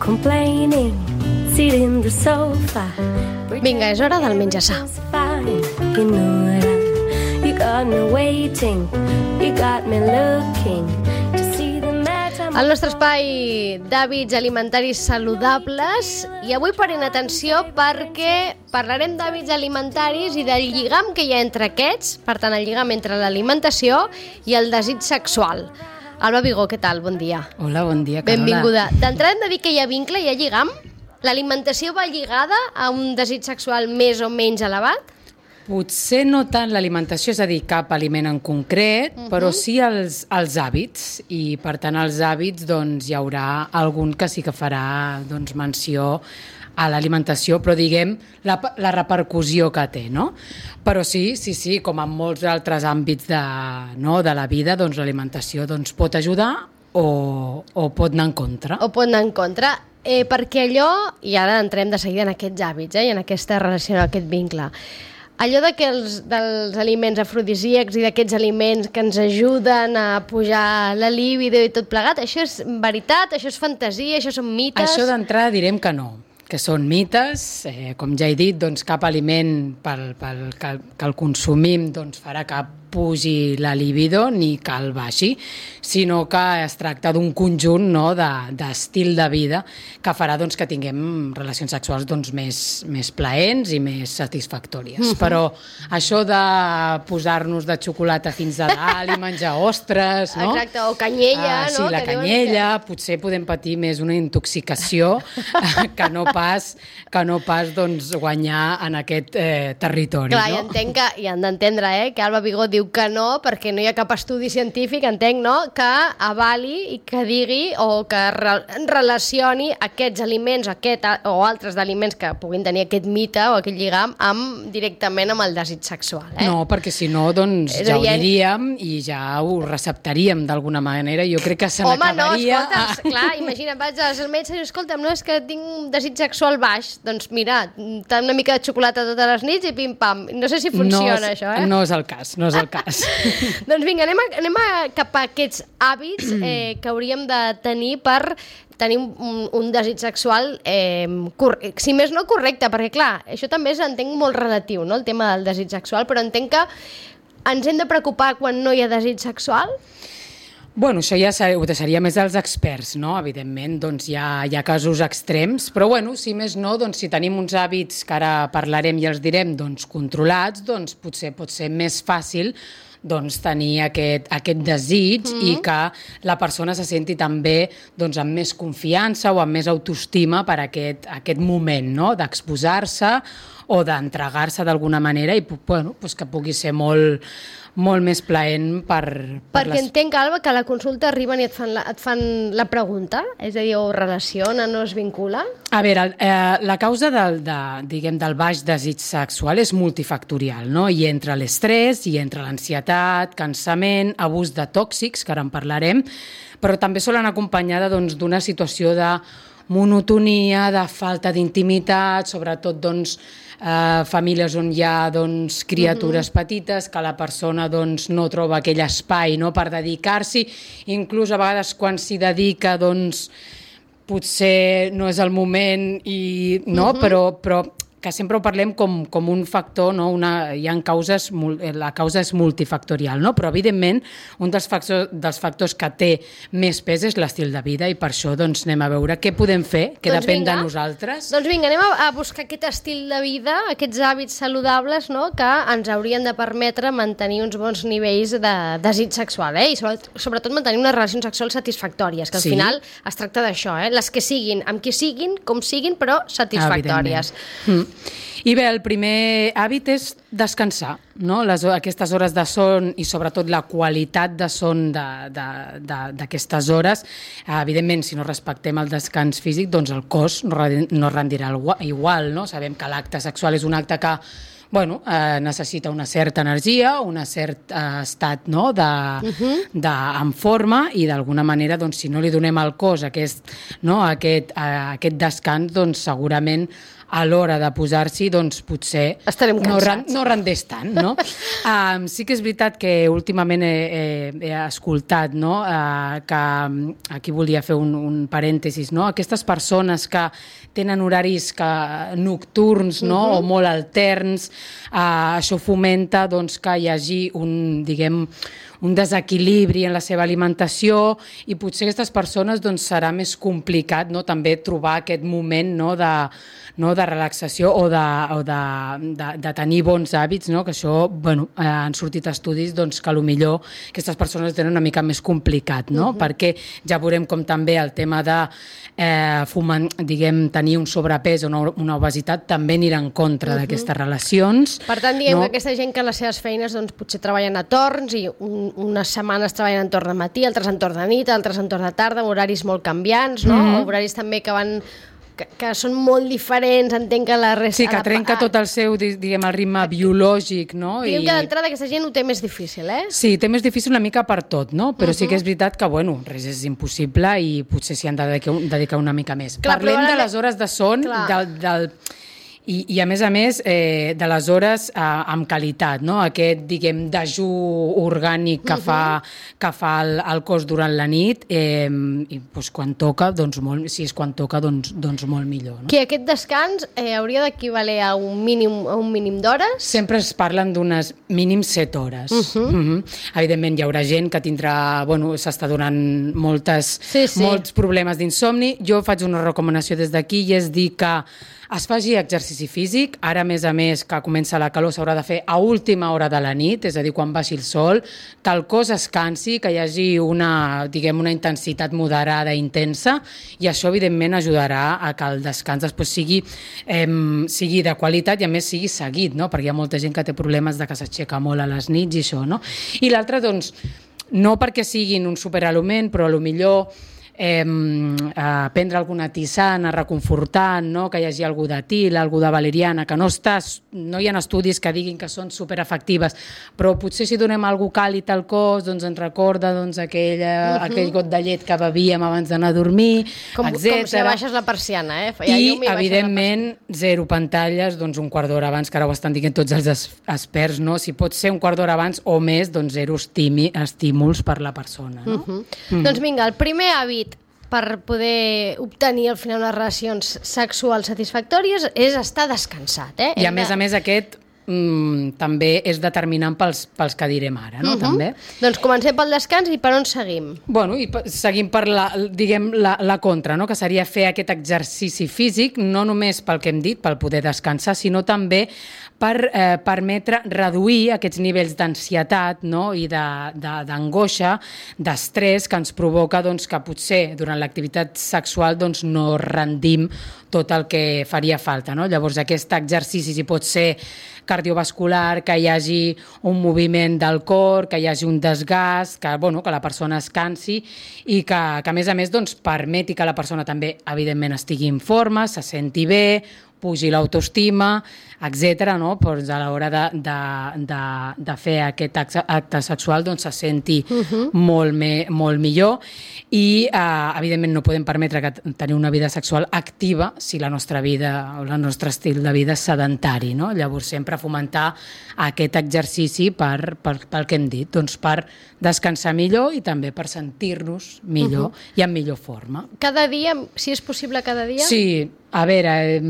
complaining, sit in the sofa. Vinga, és hora del menjar-sa. You know it, you got me waiting, you got me looking to see the matter. El nostre espai d'hàbits alimentaris saludables, i avui parem atenció perquè parlarem d'hàbits alimentaris i del lligam que hi ha entre aquests, per tant el lligam entre l'alimentació i el desig sexual. Alba Vigó, què tal? Bon dia. Hola, bon dia, Carola. Benvinguda. D'entrada hem de dir que hi ha vincle, hi ha lligam? L'alimentació va lligada a un desig sexual més o menys elevat? Potser no tant l'alimentació, és a dir, cap aliment en concret, però sí els hàbits, i per tant als hàbits doncs, hi haurà algun que sí que farà doncs, menció a l'alimentació, però diguem la repercussió que té, no? Però sí, com en molts altres àmbits de la vida, doncs l'alimentació doncs, pot ajudar o pot anar en contra. O pot anar en contra, perquè allò, i ara entrem de seguida en aquests hàbits, i en aquesta relació, en aquest vincle, allò dels aliments afrodisíacs i d'aquests aliments que ens ajuden a pujar la libido i tot plegat, això és veritat, això és fantasia, això són mites? Això d'entrada direm que no, que són mites, com ja he dit, doncs cap aliment que el consumim doncs farà que pugi la libido ni que el baixi, sinó que es tracta d'un conjunt, no, d'estil de vida que farà doncs, que tinguem relacions sexuals doncs, més plaents i més satisfactòries. Però això de posar-nos de xocolata fins a dalt i menjar ostres, no? Exacte, o canyella, no? Sí, la canyella, potser podem patir més una intoxicació que no pas doncs, guanyar en aquest territori. Clar, no? I entenc que, i han d'entendre, que Alba Vigó diu que no, perquè no hi ha cap estudi científic, entenc, no?, que avali i que digui o que relacioni aquests aliments o altres d'aliments que puguin tenir aquest mite o aquest lligam directament amb el desig sexual. No, perquè si no, doncs ja ho diríem i ja ho receptaríem d'alguna manera. Jo crec que se n'acabaria... Home, no, escolta, clar, imagina't, vaig al metge i dius, escolta'm, no, és que tinc un desig sexual baix. Doncs mira, una mica de xocolata totes les nits i pim-pam. No sé si funciona, això, No és el cas, no és el cas. Doncs vinga, anem cap a aquests hàbits que hauríem de tenir per tenir un desig sexual, si més no correcte, perquè clar, això també entenc molt relatiu, no?, el tema del desig sexual, però entenc que ens hem de preocupar quan no hi ha desig sexual? Bueno, això ja ho deixaria més als experts, no? Evidentment, doncs hi ha casos extrems, però bueno, si més no, doncs si tenim uns hàbits que ara parlarem i els direm doncs controlats, doncs potser pot ser més fàcil doncs tenir aquest desig i que la persona se senti també doncs, amb més confiança o amb més autoestima per aquest moment, no?, d'exposar-se o d'entregar-se d'alguna manera i bueno, doncs que pugui ser molt més plaent perquè entenc, Alba, que a la consulta arriben i et fan la pregunta, és a dir, o relaciona, no es vincula? A veure, la causa del baix desig sexual és multifactorial, no? Hi entra l'estrès, hi entra l'ansietat, cansament, abús de tòxics, que ara en parlarem, però també solen acompanyada d'una situació de monotonia, de falta d'intimitat, sobretot doncs, famílies on hi ha doncs, criatures petites, que la persona doncs, no troba aquell espai, no?, per dedicar-s'hi, inclús a vegades quan s'hi dedica doncs, potser no és el moment, no? Però que sempre ho parlem com un factor, no? Hi ha causes, la causa és multifactorial, no? Però evidentment un dels factors que té més pes és l'estil de vida i per això doncs, anem a veure què podem fer, que depèn de nosaltres. Doncs vinga, anem a buscar aquest estil de vida, aquests hàbits saludables, no?, que ens haurien de permetre mantenir uns bons nivells de desig sexual, i sobretot mantenir unes relacions sexuals satisfactòries, que al final es tracta d'això, les que siguin, amb qui siguin, com siguin, però satisfactòries. I bé, el primer hàbit és descansar, no? Aquestes hores de son i sobretot la qualitat de son d'aquestes hores, evidentment, si no respectem el descans físic, doncs el cos no rendirà igual, no? Sabem que l'acte sexual és un acte que necessita una certa energia, un cert estat, no?, en forma, i d'alguna manera, doncs, si no li donem al cos aquest descans, doncs segurament a l'hora de posar-s'hi, doncs potser estarem cansats. No rendeix tant, no? Sí que és veritat que últimament he escoltat, no?, que aquí volia fer un parèntesis, no?, aquestes persones que tenen horaris nocturns, no?, o molt alterns, això fomenta, doncs, que hi hagi un desequilibri en la seva alimentació, i potser aquestes persones, doncs, serà més complicat, no?, també trobar aquest moment, no?, de relaxació o de tenir bons hàbits, no?, que això, han sortit estudis, doncs, que potser aquestes persones tenen una mica més complicat, no?, perquè ja veurem com també el tema de tenir un sobrepès o una obesitat també anirà en contra d'aquestes relacions. Per tant, diguem que aquesta gent que les seves feines, doncs, potser treballen a torns, i unes setmanes treballen en torn de matí, altres en torn de nit, altres en torn de tarda, horaris molt canviants, no? Horaris també que són molt diferents, entenc que la resta... Sí, que trenca tot el seu, el ritme biològic, no? Diguem que d'entrada aquesta gent ho té més difícil, eh? Sí, té més difícil una mica per tot, no? Però sí que és veritat que, res és impossible, i potser s'hi han de dedicar una mica més. Parlem de les hores de son, i a més, de les hores amb qualitat, no? Aquest, dejú orgànic que fa el cos durant la nit, i quan toca, si és quan toca, doncs molt millor. Que aquest descans hauria d'equivaler a un mínim d'hores? Sempre es parlen d'unes mínim 7 hores. Evidentment, hi haurà gent que tindrà, s'està donant molts problemes d'insomni. Jo faig una recomanació des d'aquí, i és dir que es faci exercici físic. Ara, a més, que comença la calor, s'haurà de fer a última hora de la nit, és a dir, quan baixi el sol, que el cos es cansi, que hi hagi una intensitat moderada i intensa, i això, evidentment, ajudarà a que el descans després sigui de qualitat, i a més sigui seguit, no? Perquè hi ha molta gent que té problemes de que s'aixeca molt a les nits i això, no? I l'altre, doncs, no perquè siguin un superaliment, però potser prendre alguna tisana reconfortant, no? Que hi hagi algú d'etil, algú de valeriana, que no hi ha estudis que diguin que són superefectives, però potser si donem algú càlid al cos, doncs ens recorda aquell got de llet que bevíem abans d'anar a dormir, etc. Com si baixes la persiana, I, evidentment, 0 pantalles, doncs un quart d'hora abans, que ara ho estan dient tots els experts, no? Si pot ser un quart d'hora abans o més, doncs 0 estímuls per la persona, no? Doncs vinga, el primer hàbit per poder obtenir al final unes relacions sexuals satisfactòries és estar descansat, eh? I a més aquest també és determinant pels que direm ara, no? També. Doncs comencem pel descans, i per on seguim? I seguim per la contra, no? Que seria fer aquest exercici físic, no només pel que hem dit, pel poder descansar, sinó també per permetre reduir aquests nivells d'ansietat, no? I d'angoixa, d'estrès, que ens provoca que potser durant l'activitat sexual no rendim tot el que faria falta, no? Llavors, aquest exercici, si pot ser cardiovascular, que hi hagi un moviment del cor, que hi hagi un desgast, que la persona es cansi, i que a més, permeti que la persona també, evidentment, estigui en forma, se senti bé, pugi l'autoestima, etc., no? Doncs a l'hora de fer aquest acte sexual se senti molt millor, i evidentment no podem permetre tenir una vida sexual activa si la nostra vida o el nostre estil de vida és sedentari, no? Llavors sempre fomentar aquest exercici pel que hem dit, doncs per descansar millor i també per sentir-nos millor i en millor forma. Cada dia, si és possible cada dia? Sí, a veure,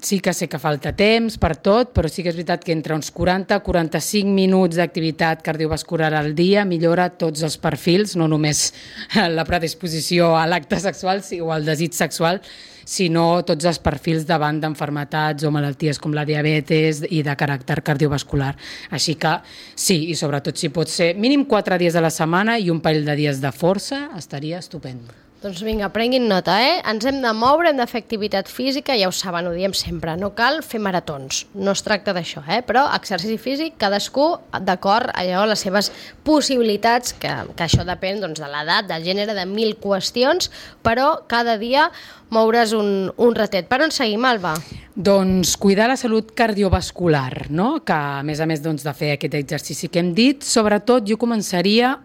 sí que sé que falta temps per tot, però sí que és veritat que entre uns 40-45 minuts d'activitat cardiovascular al dia millora tots els perfils, no només la predisposició a l'acte sexual o al desig sexual, sinó tots els perfils davant d'enfermetats o malalties com la diabetes i de caràcter cardiovascular. Així que sí, i sobretot si pot ser mínim 4 dies a la setmana i un parell de dies de força, estaria estupend. Doncs vinga, prenguin nota, Ens hem de moure, hem de fer activitat física, ja ho saben, ho diem sempre, no cal fer maratons, no es tracta d'això, però exercici físic, cadascú d'acord allò, les seves possibilitats, que això depèn doncs, de l'edat, del gènere, de 1000 qüestions, però cada dia moure's un ratet. Per on seguim, Alba? Doncs cuidar la salut cardiovascular, no? Que a més doncs, de fer aquest exercici que hem dit, sobretot jo començaria,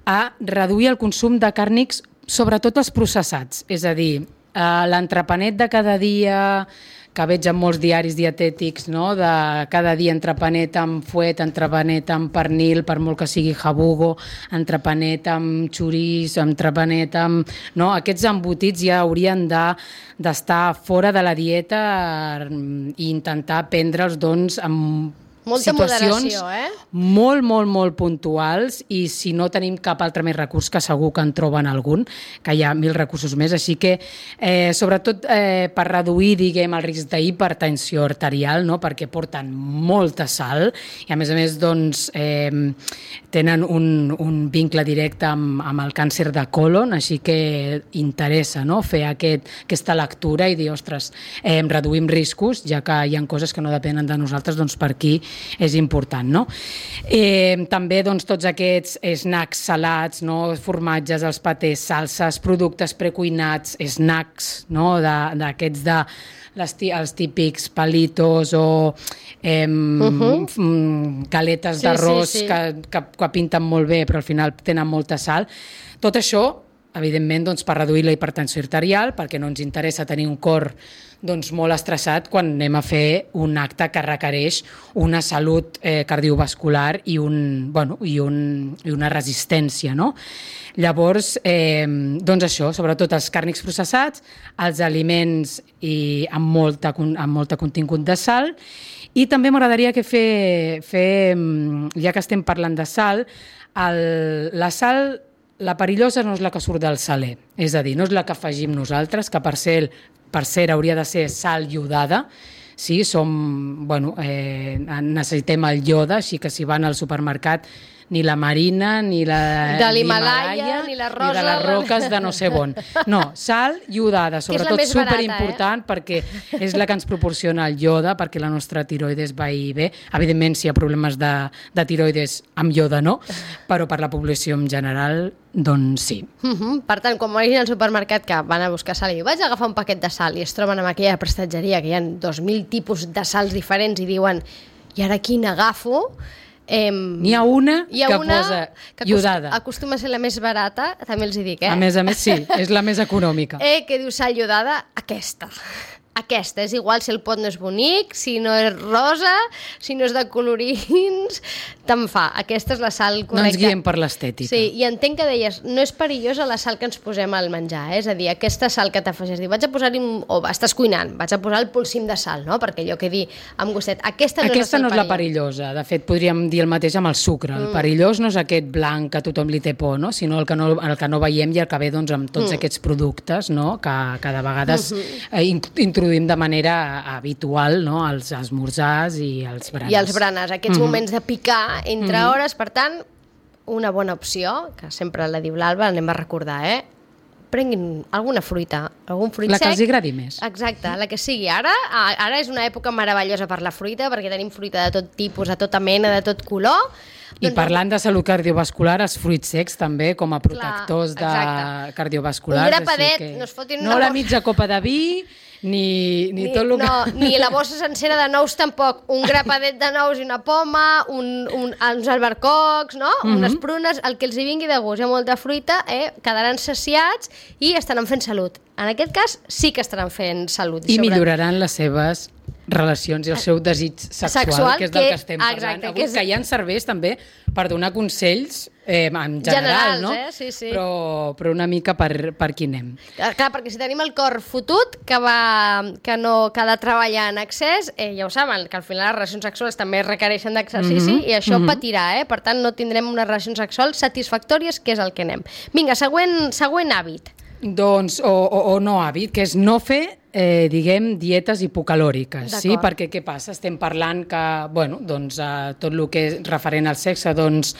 a reduir el consum de càrnics, sobretot els processats, és a dir, l'entrepanet de cada dia, que veig en molts diaris dietètics, no? De cada dia entrepanet amb fuet, entrepanet amb pernil, per molt que sigui jabugo, entrepanet amb xoriç, entrepanet amb... No? Aquests embotits ja haurien d'estar fora de la dieta i intentar prendre'ls doncs, amb molta situacions moderació, molt puntuals, i si no tenim cap altre més recurs, que segur que en troben algun, que hi ha 1000 recursos més, així que sobretot per reduir, diguem, el risc d'hipertensió arterial, no? Perquè porten molta sal i a més doncs tenen un vincle directe amb el càncer de colon, així que interessa, no? Fer aquesta lectura i dir, ostres, reduïm riscos, ja que hi ha coses que no depenen de nosaltres, doncs per aquí és important, no? També doncs, tots aquests snacks salats, no? Formatges, els patés, salses, productes precuinats, snacks, no? D'aquests els típics palitos o galetes d'arròs que pinten molt bé però al final tenen molta sal. Tot això, evidentment, doncs, per reduir la hipertensió arterial, perquè no ens interessa tenir un cor doncs, molt estressat quan anem a fer un acte que requereix una salut cardiovascular i una resistència, no? Llavors, doncs això, sobretot els càrnics processats, els aliments amb molta contingut de sal, i també m'agradaria que ja que estem parlant de sal, la sal, la perillosa no és la que surt del saler, és a dir, no és la que afegim nosaltres, que per cert hauria de ser sal iodada. Sí, necessitem el iode, així que si van al supermercat ni la marina, ni la de l'Himàlaia, ni la rosa, ni de les roques de no sé on. No, sal iodada, sobretot superimportant, perquè és la que ens proporciona el iode, perquè la nostra tiroides vagi bé. Evidentment, si hi ha problemes de tiroides, amb iode no, però per la població en general, doncs sí. Per tant, quan vagin al supermercat que van a buscar sal i vaig agafar un paquet de sal i es troben amb aquella prestatgeria que hi ha 2.000 tipus de sals diferents i diuen, i ara quina agafo? N'hi ha una que posa iodada. Acostuma a ser la més barata, també els hi dic, A més, sí, és la més econòmica. Que diu sal iodada, aquesta. Aquesta, és igual si el pot no és bonic, si no és rosa, si no és de colorins, te'n fa. Aquesta és la sal correcta. No ens guiem per l'estètica. Sí, i entenc que deies, no és perillosa la sal que ens posem al menjar, és a dir, aquesta sal que t'afegeix, vaig a posar-hi, o estàs cuinant, vaig a posar el polsim de sal, no? Perquè allò que dir amb gustet, aquesta no és la perillosa. De fet, podríem dir el mateix amb el sucre. El perillós no és aquest blanc que tothom li té por, no? Sinó el que no veiem i el que ve doncs, amb tots aquests productes, no? Que de vegades introduïm de manera habitual, no? Els esmorzars i els berenars. I els berenars, aquests moments de picar entre hores, per tant, una bona opció, que sempre la diu l'Alba, anem a recordar, prenguin alguna fruita, algun fruit sec. La que els agradi més. Exacte, la que sigui. Ara és una època meravellosa per la fruita, perquè tenim fruita de tot tipus, de tota mena, de tot color. I parlant de salut cardiovascular, els fruits secs també, com a protectors cardiovasculars. Un grapadet, no es fotin no la mitja copa de vi, ni tot el que... No, ni la bossa sencera de nous tampoc. Un grapadet de nous i una poma, uns albercocs, no? Unes prunes, el que els hi vingui de gust. Hi ha molta fruita, quedaran saciats i estaran fent salut. En aquest cas sí que estaran fent salut. I milloraran les seves relacions i el seu desig sexual, que és del que estem parlant. Exacte, avui, que ja ens serveix també per donar consells en general, no? Sí. Però una mica per qui anem. Clar, perquè si tenim el cor fotut, que ha de treballar en excés, ja ho saben, que al final les relacions sexuals també requereixen d'exercici i això patirà, per tant no tindrem unes relacions sexuals satisfactòries, que és el que anem. Vinga, següent hàbit. Doncs, o no hàbit, que és no fer, diguem, dietes hipocalòriques, sí? Perquè què passa? Estem parlant que, bueno, doncs, tot el que és referent al sexe, doncs,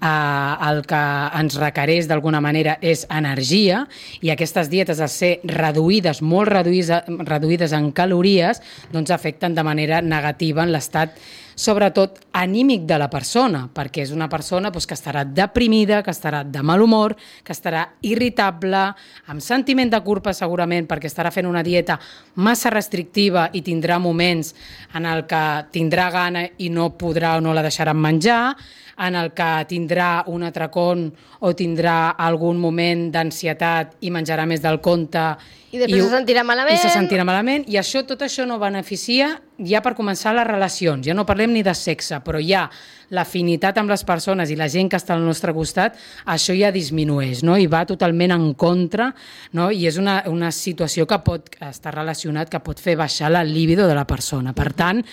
el que ens requereix d'alguna manera és energia, i aquestes dietes, al ser reduïdes, molt reduïdes en calories, doncs afecten de manera negativa en l'estat sobretot anímic de la persona, perquè és una persona doncs, que estarà deprimida, que estarà de mal humor, que estarà irritable, amb sentiment de culpa segurament, perquè estarà fent una dieta massa restrictiva i tindrà moments en el que tindrà gana i no podrà o no la deixaran menjar, en el que tindrà un atracón o tindrà algun moment d'ansietat i menjarà més del compte i després se sentirà malament. I se sentirà malament, i tot això no beneficia ja per començar les relacions. Ja no parlem ni de sexe, però ja l'afinitat amb les persones i la gent que està al nostre costat, això ja disminueix, no? I va totalment en contra, no? I és una situació que pot estar relacionat, que pot fer baixar la libido de la persona. Per tant,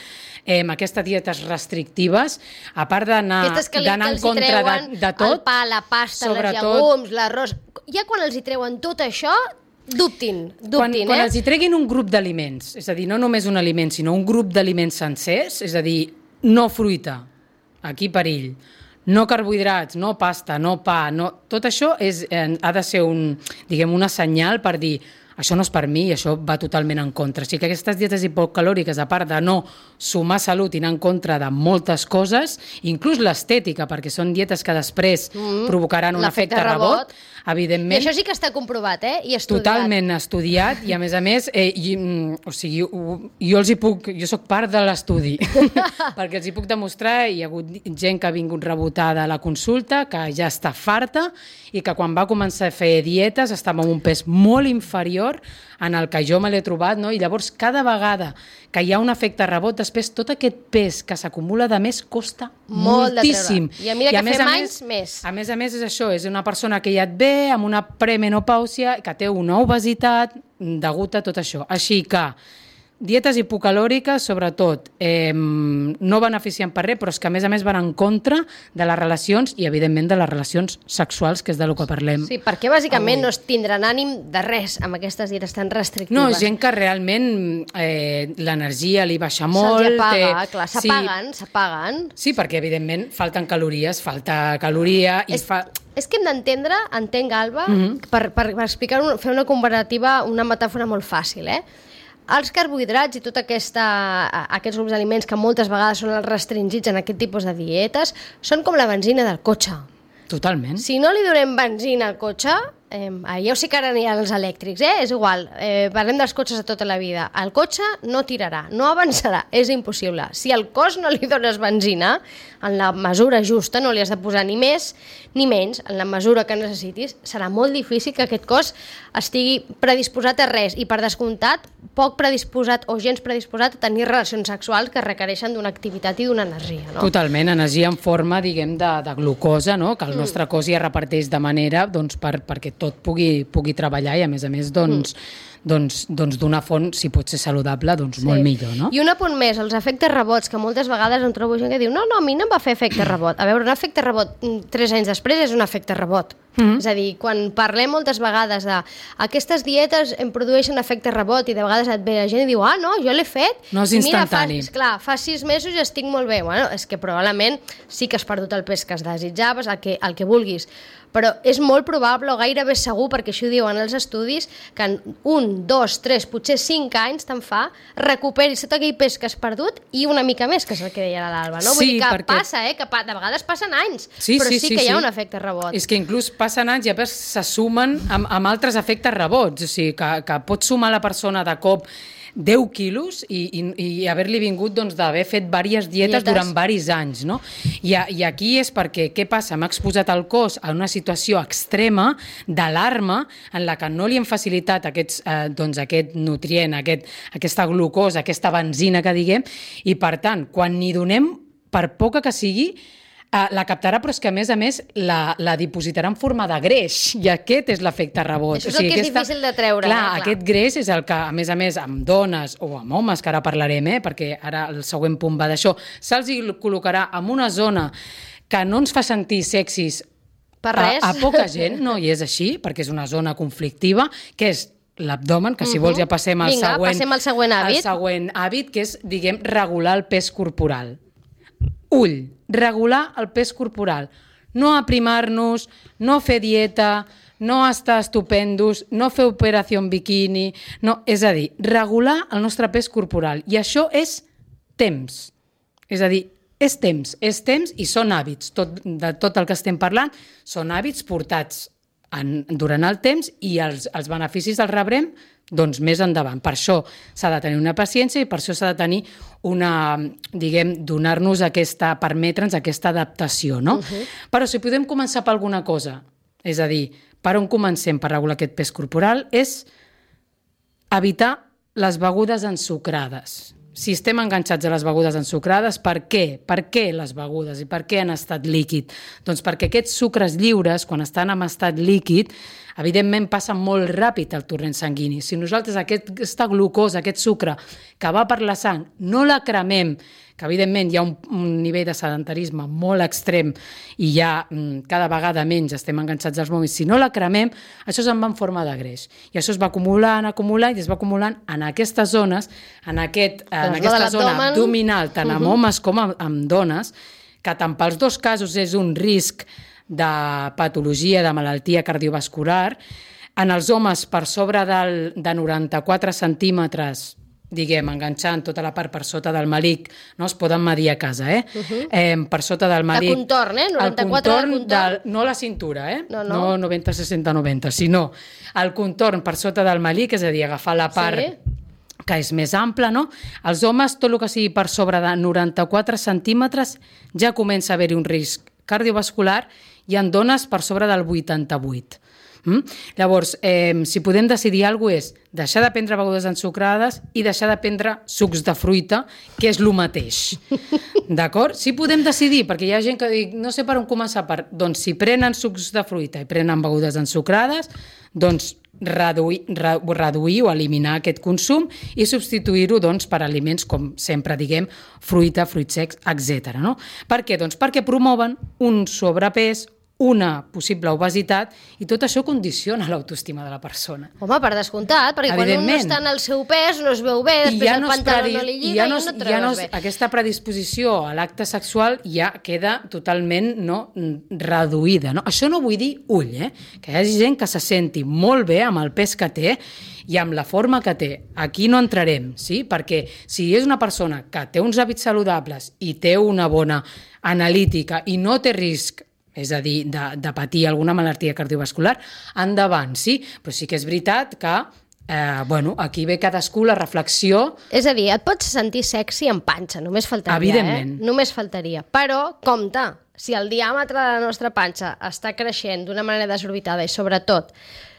aquestes dietes restrictives, a part d'anar en contra de tot... El pa, la pasta, els llegums, l'arròs... Ja quan els hi treuen tot això, dubtin, quan els hi treguin un grup d'aliments, és a dir, no només un aliment, sinó un grup d'aliments sencers, és a dir, no fruita, aquí perill, no carbohidrats, no pasta, no pa, tot això ha de ser una senyal per dir això no és per mi i això va totalment en contra. O sigui que aquestes dietes hipocalòriques, a part de no sumar salut i anar en contra de moltes coses, inclús l'estètica, perquè són dietes que després provocaran un efecte rebot, evidentment... I això sí que està comprovat, i estudiat. Totalment estudiat, i a més, jo soc part de l'estudi, perquè els hi puc demostrar, hi ha hagut gent que ha vingut rebotada a la consulta, que ja està farta, i que quan va començar a fer dietes estava amb un pes molt inferior en el que jo me l'he trobat, no? I llavors cada vegada que hi ha un efecte rebot, després tot aquest pes que s'acumula de més costa moltíssim. I a mesura que fem anys, més. A més és això, és una persona que ja et ve amb una premenopàusia, que té una obesitat degut a tot això. Així que dietes hipocalòriques, sobretot, no beneficien per res, però és que a més van en contra de les relacions i, evidentment, de les relacions sexuals, que és del que parlem. Sí, perquè bàsicament no es tindran ànim de res amb aquestes dietes tan restrictives. No, gent que realment l'energia li baixa molt. Se'ls apaga, clar, s'apaguen. Sí, perquè, evidentment, falten calories, falta caloria i És que hem d'entendre, entenc, Alba, per explicar, fer una comparativa, una metàfora molt fàcil, Els carbohidrats i tots aquests grups d'aliments que moltes vegades són els restringits en aquest tipus de dietes són com la benzina del cotxe. Totalment. Si no li donem benzina al cotxe, ja ho sé que ara n'hi ha els elèctrics, és igual, parlem dels cotxes de tota la vida. El cotxe no tirarà, no avançarà, és impossible. Si al cos no li dones benzina, en la mesura justa, no li has de posar ni més ni menys, en la mesura que necessitis, serà molt difícil que aquest cos estigui predisposat a res, i per descomptat, poc predisposat o gens predisposat a tenir relacions sexuals que requereixen d'una activitat i d'una energia, no? Totalment, energia en forma, diguem, de glucosa, no? Que el nostre cos ja reparteix de manera, doncs, perquè tot pugui treballar i, a més, d'una font, si pot ser saludable, doncs molt millor, no? I un apunt més, els efectes rebots, que moltes vegades em trobo gent que diu no, a mi no em va fer efecte rebot. A veure, un efecte rebot 3 anys després és un efecte rebot. És a dir, quan parlem moltes vegades de aquestes dietes em produeixen efecte rebot i de vegades et ve la gent i diu no, jo l'he fet. No és instantani. Mira, fa 6 mesos i estic molt bé. Bueno, és que probablement sí que has perdut el pes que es desitjaves, el que vulguis, però és molt probable o gairebé segur, perquè això ho diuen els estudis, que en 1, 2, 3, potser 5 anys te'n fa, recuperis tot aquell pes que has perdut i una mica més, que és el que deia l'Alba, no? Vull dir que passa, que de vegades passen anys, però sí que hi ha un efecte rebot. És que inclús passen anys i a més se sumen amb altres efectes rebots, o sigui, que pot sumar la persona de cop 10 quilos i haver-li vingut d'haver fet diverses dietes durant diversos anys, no? I aquí és perquè, què passa? M'ha exposat el cos a una situació extrema d'alarma en la que no li hem facilitat aquest nutrient, aquesta glucosa, aquesta benzina que diguem, i per tant, quan n'hi donem, per poca que sigui, la captarà, però és que a més la dipositarà en forma de greix, i aquest és l'efecte rebot. Això és el que és difícil de treure. Clar, aquest greix és el que, a més, amb dones o amb homes, que ara parlarem, perquè ara el següent punt va d'això, se'ls col·locarà en una zona que no ens fa sentir sexis Per res. A poca gent, no, i és així, perquè és una zona conflictiva, que és l'abdomen, que si vols ja passem al Vinga, següent... passem al següent hàbit. El següent hàbit, que és, diguem, regular el pes corporal. Ull, regular el pes corporal. No aprimar-nos, no fer dieta, no estar estupendos, no fer operació en biquini... No, és a dir, regular el nostre pes corporal. I això és temps. És a dir, és temps i són hàbits. De tot el que estem parlant són hàbits portats durant el temps i els beneficis els rebrem doncs més endavant. Per això s'ha de tenir una paciència i per això s'ha de tenir una, diguem, donar-nos permetre'ns aquesta adaptació, no? Però si podem començar per alguna cosa, és a dir, per on comencem per regular aquest pes corporal, és evitar les begudes ensucrades. Si estem enganxats a les begudes ensucrades, per què? Per què les begudes i per què en estat líquid? Doncs perquè aquests sucres lliures, quan estan en estat líquid, evidentment passen molt ràpid al torrent sanguini. Si nosaltres aquesta glucosa, aquest sucre que va per la sang, no la cremem, que evidentment hi ha un nivell de sedentarisme molt extrem i ja cada vegada menys estem enganxats als mòbils, si no la cremem, això se'n va en forma de greix. I això es va acumulant i es va acumulant en aquestes zones, en aquesta zona abdominal, tant amb homes com amb dones, que tant pels dos casos és un risc de patologia, de malaltia cardiovascular. En els homes, per sobre de 94 centímetres, diguem, enganxant tota la part per sota del melic, no es poden medir a casa, per sota del melic. De contorn, 94 de contorn. No la cintura, No 90, 60, 90, sinó el contorn per sota del melic, és a dir, agafar la part que és més ampla, no? Els homes, tot el que sigui per sobre de 94 centímetres, ja comença a haver-hi un risc cardiovascular i en dones per sobre del 88. Llavors, si podem decidir alguna cosa és deixar de prendre begudes ensucrades i deixar de prendre sucs de fruita, que és el mateix. D'acord? Si podem decidir, perquè hi ha gent que diu, no sé per on començar, doncs si prenen sucs de fruita i prenen begudes ensucrades, doncs reduir o eliminar aquest consum i substituir-ho doncs, per aliments com sempre diguem, fruita, fruits secs, etc. No? Per què? Doncs perquè promouen un sobrepès, una possible obesitat, i tot això condiciona l'autoestima de la persona. Home, per descomptat, perquè quan un no està en el seu pes, no es veu bé, després el pantaló no li lliga i no et trobes bé. Aquesta predisposició a l'acte sexual ja queda totalment reduïda. No? Això no vull dir ull, que hi hagi gent que se senti molt bé amb el pes que té i amb la forma que té. Aquí no entrarem, sí? Perquè si és una persona que té uns hàbits saludables i té una bona analítica i no té risc, és a dir, de patir alguna malaltia cardiovascular, endavant, sí? Però sí que és veritat que aquí ve cadascú la reflexió. És a dir, et pots sentir sexy en panxa, només faltaria, evidentment. Només faltaria. Però, compte, si el diàmetre de la nostra panxa està creixent d'una manera desorbitada i, sobretot,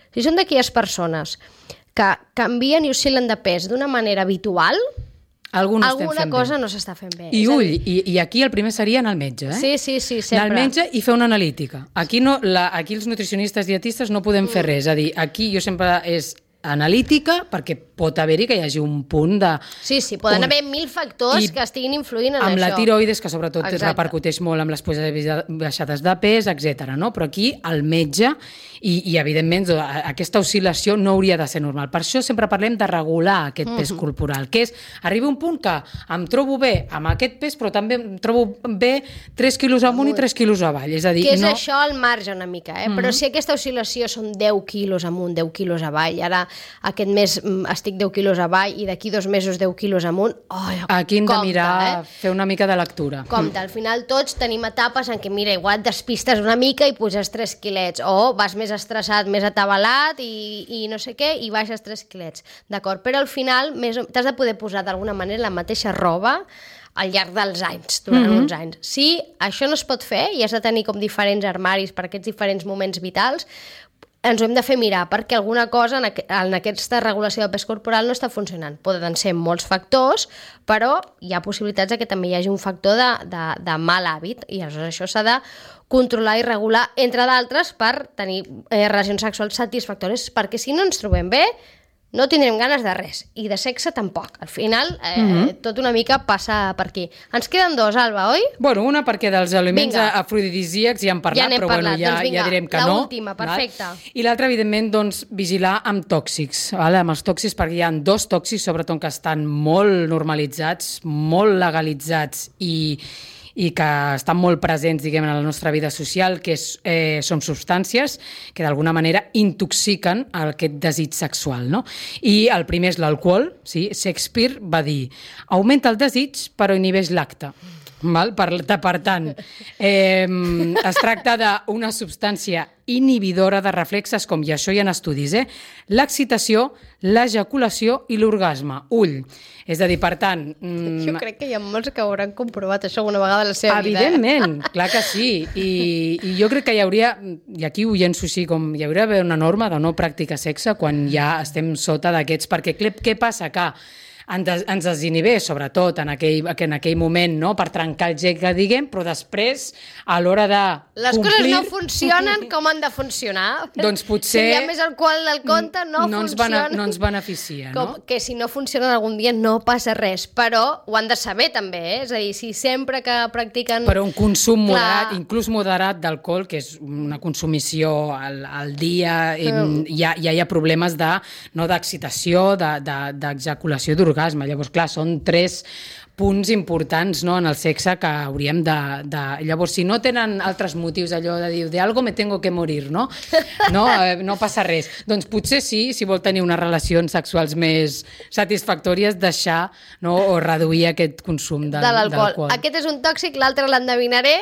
si són d'aquelles persones que canvien i oscil·len de pes d'una manera habitual, alguna cosa no s'està fent bé. I ull, i aquí el primer seria anar al metge, Sí, sempre. Anar al metge i fer una analítica. Aquí els nutricionistes dietistes no podem fer res, és a dir, aquí jo sempre és analítica, perquè pot haver-hi que hi hagi un punt de... Sí, poden haver 1000 factors que estiguin influint en això. Amb la tiroides, que sobretot repercuteix molt amb les baixades de pes, etc. No? Però aquí el metge, i evidentment aquesta oscil·lació no hauria de ser normal. Per això sempre parlem de regular aquest pes corporal, que és arribar a un punt que em trobo bé amb aquest pes, però també em trobo bé 3 quilos amunt i 3 quilos avall. És a dir, que és això al marge una mica, però si aquesta oscil·lació són 10 quilos amunt, 10 quilos avall, ara aquest mes estic 10 quilos avall i d'aquí 2 mesos 10 quilos amunt, aquí hem de mirar, fer una mica de lectura. Compte, al final tots tenim etapes en què, mira, igual et despistes una mica i puges 3 quilets, o vas més estressat, més atabalat i no sé què, i baixes 3 quilets, d'acord? Però al final t'has de poder posar d'alguna manera la mateixa roba al llarg dels anys, durant uns anys. Si això no es pot fer i has de tenir com diferents armaris per aquests diferents moments vitals, ens ho hem de fer mirar, perquè alguna cosa en aquesta regulació del pes corporal no està funcionant. Poden ser molts factors, però hi ha possibilitats que també hi hagi un factor de mal hàbit, i aleshores això s'ha de controlar i regular, entre d'altres, per tenir relacions sexuals satisfactòries, perquè si no ens trobem bé, no tindrem ganes de res, i de sexe tampoc. Al final, tot una mica passa per aquí. Ens queden 2, Alba, oi? Bueno, una perquè dels aliments afrodisíacs ja hem parlat, però bueno, ja direm que no. L'última, perfecte. I l'altra, evidentment, doncs, vigilar amb tòxics, amb els tòxics, perquè hi ha 2 tòxics, sobretot que estan molt normalitzats, molt legalitzats i que estan molt presents, diguem, en la nostra vida social, que són substàncies que d'alguna manera intoxiquen aquest desig sexual, no? I el primer és l'alcohol, sí? Shakespeare va dir: augmenta el desig però inhibeix l'acte. Per tant, es tracta d'una substància inhibidora de reflexes, com i això hi ha estudis, l'excitació, l'ejaculació i l'orgasme. Ull. És a dir, per tant... Jo crec que hi ha molts que hauran comprovat això alguna vegada a la seva vida. Evidentment, clar que sí. I jo crec que hi hauria, i aquí ho llenço així, com hi hauria d'haver una norma de no practicar sexe quan ja estem sota d'aquests, perquè què passa? Que ens desinhibeix, sobretot en aquell moment, no? Per trencar el gel, que diguem, però després, a l'hora de les coses no funcionen com han de funcionar. Doncs potser... Si hi ha més alcohol del compte, no funcionen. No ens beneficia, no? Que si no funcionen algun dia no passa res, però ho han de saber també, És a dir, si sempre que practiquen... Però un consum moderat, inclús moderat d'alcohol, que és una consumició al dia, ja hi ha problemes d'excitació, d'ejaculació, d'orgasme. Llavors, clar, són 3 punts importants, no, en el sexe que hauríem de... Llavors, si no tenen altres motius, allò de dir, de algo me tengo que morir, no? No passa res. Doncs potser sí, si vol tenir unes relacions sexuals més satisfactòries, deixar, no, o reduir aquest consum d'alcohol. Aquest és un tòxic, l'altre l'endevinaré,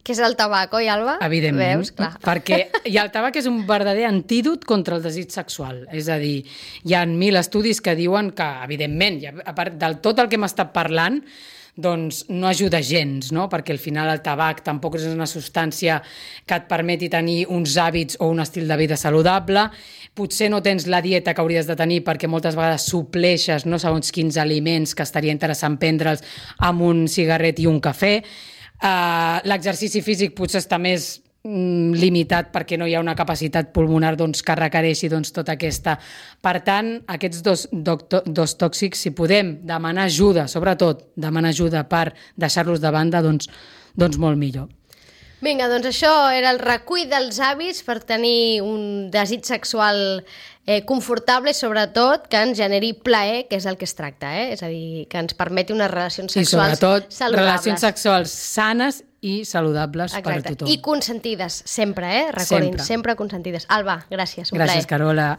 que és el tabac, oi, Alba? Evidentment, veus? Clar. Perquè el tabac és un verdader antídot contra el desig sexual. És a dir, hi ha 1000 estudis que diuen que, evidentment, a part del tot el que hem estat parlant, doncs no ajuda gens, no? Perquè al final el tabac tampoc és una substància que et permeti tenir uns hàbits o un estil de vida saludable. Potser no tens la dieta que hauries de tenir perquè moltes vegades supleixes no segons quins aliments que estaria interessant prendre'ls amb un cigarret i un cafè. L'exercici físic potser està més limitat perquè no hi ha una capacitat pulmonar que requereixi tota aquesta. Per tant, aquests dos tòxics, si podem demanar ajuda, sobretot demanar ajuda per deixar-los de banda, doncs molt millor. Vinga, doncs això era el recull dels hàbits per tenir un desig sexual confortable i sobretot que ens generi plaer, que és el que es tracta, És a dir, que ens permeti unes relacions sexuals saludables. I sobretot relacions sexuals sanes i saludables per a tothom. I consentides, sempre, Recordin, sempre consentides. Alba, gràcies, un plaer. Gràcies, Carola.